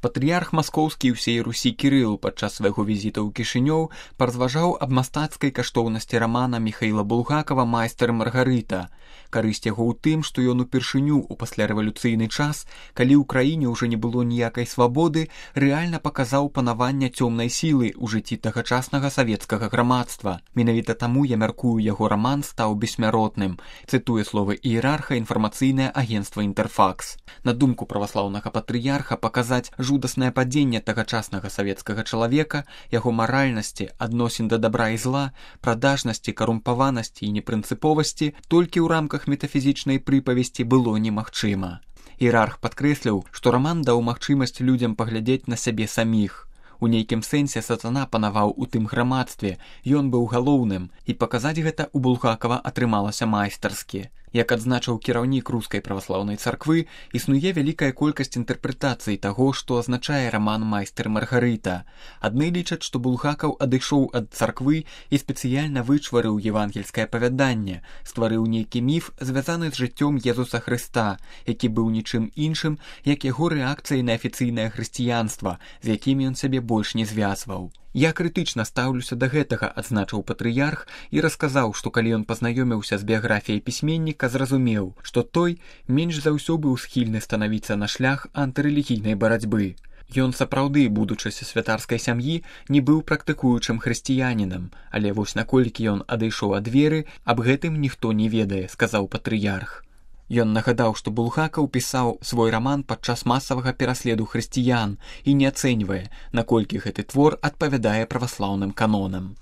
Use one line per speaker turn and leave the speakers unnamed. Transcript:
Патрыярх маскоўскі ўсей Русі Кірыл падчас свайго візіта ў Кішынёў паразважаў аб мастацкай каштоўнасці рамана Міхаіла Булгакова «Майстар і Маргарыта». Карысць яго ў тым, што ён упершыню ў паслярэвалюцыйны час, калі ў краіне ўжо не было ніякай свабоды, рэальна паказаў панаванне цёмнай сілы ў жыцці тагачаснага савецкага грамадства. Менавіта таму, я мяркую, яго раман стаў бессмяротным, цытуе словы іерарха інфармацыйнае агенцтва «Інтэрфакс». На думку праваслаўнага патрыярха, паказаць жудаснае падзенне тагачаснага савецкага чалавека, яго маральнасці, адносін да дабра і зла, прадажнасці, карумпаванасці і непрынцыповасці толькі ў рамках метафізічнай прыпавесці было немагчыма. Іерарх падкрэсліў, што раман даў магчымасць людзям паглядзець на сябе саміх. У нейкім сэнсе сатана панаваў у тым грамадстве, ён быў галоўным, і паказаць гэта ў Булгакова атрымалася майстарскі. Як адзначыў кіраўнік рускай праваслаўнай царквы, існуе вялікая колькасць інтэрпрэтацый таго, што азначае раман «Майстар і Маргарыта». Адны лічаць, што Булгакаў адышоў ад царквы і спецыяльна вычварыў евангельскае апавяданне, стварыў нейкі міф, звязаны з жыццём Езуса Хрыста, які быў нічым іншым, як яго рэакцыяй на афіцыйнае хрысціянства, з якім ён сябе больш не звязваў. Я крытычна стаўлюся да гэтага, адзначыў патрыярх і расказаў, што калі ён пазнаёміўся з біяграфіяй пісьменніка, зразумеў, што той менш за ўсё быў схільны станавіцца на шлях антырэлігійнай барацьбы. Ён сапраўды, будучыся святарскай сям'і, не быў практыкуючым хрысціянінам, але вось наколькі ён адышоў ад веры, аб гэтым ніхто не ведае, сказаў патрыярх. Ён нагадаў, што Булгакаў пісаў свой раман падчас масавага пераследу хрысціян і не ацэньвае, наколькі гэты твор адпавядае праваслаўным канонам.